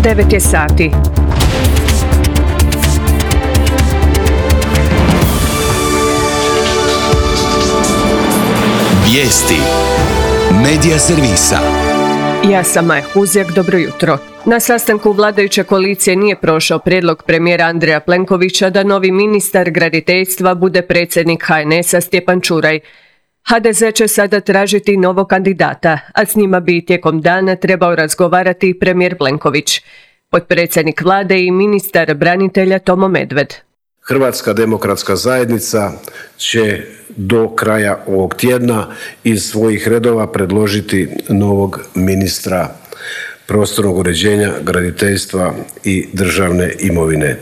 9 je sati. Vijesti Medija servisa. Ja sam Maja Huzjak, dobro jutro. Na sastanku vladajuće koalicije nije prošao prijedlog premijera Andreja Plenkovića da novi ministar graditeljstva bude predsjednik HNS-a Stjepan Čuraj. HDZ će sada tražiti novog kandidata, a s njima bi tijekom dana trebao razgovarati i premijer Plenković, potpredsjednik vlade i ministar branitelja Tomo Medved. Hrvatska demokratska zajednica će do kraja ovog tjedna iz svojih redova predložiti novog ministra prostornog uređenja, graditeljstva i državne imovine.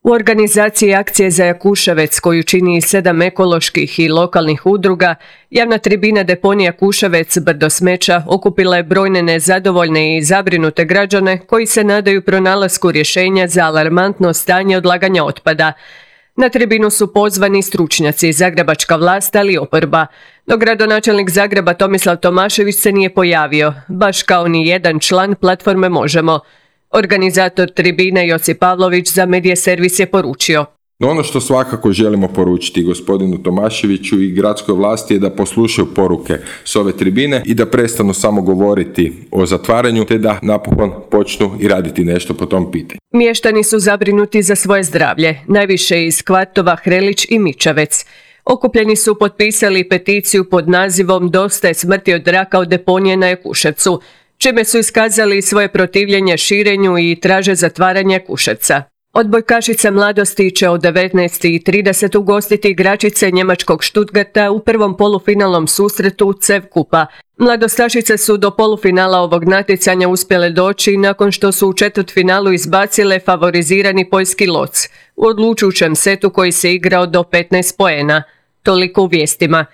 U organizaciji akcije za Jakuševec, koju čini 7 ekoloških i lokalnih udruga, javna tribina deponija Jakuševec brdo smeća okupila je brojne nezadovoljne i zabrinute građane koji se nadaju pronalasku rješenja za alarmantno stanje odlaganja otpada. Na tribinu su pozvani stručnjaci, zagrebačka vlast, ali i oporba. No gradonačelnik Zagreba Tomislav Tomašević se nije pojavio, baš kao ni jedan član platforme Možemo. Organizator tribine Josip Pavlović za Medija servis je poručio: No ono što svakako želimo poručiti gospodinu Tomaševiću i gradskoj vlasti je da poslušaju poruke s ove tribine i da prestanu samo govoriti o zatvaranju, te da napokon počnu i raditi nešto po tom pitanju. Mještani su zabrinuti za svoje zdravlje, najviše iz kvartova Hrelić i Mičavec. Okupljeni su potpisali peticiju pod nazivom Dosta je smrti od raka od deponije na Jakuševcu, čime su iskazali svoje protivljenje širenju i traže zatvaranje Jakuševca. Odbojkašice mladosti će od 19:30 ugostiti igračice njemačkog Stuttgarta u prvom polufinalnom susretu CEV kupa. Mladostašice su do polufinala ovog natjecanja uspjele doći nakon što su u četvrtfinalu izbacile favorizirani poljski Loc u odlučujućem setu koji se igrao do 15 poena. Toliko u vijestima.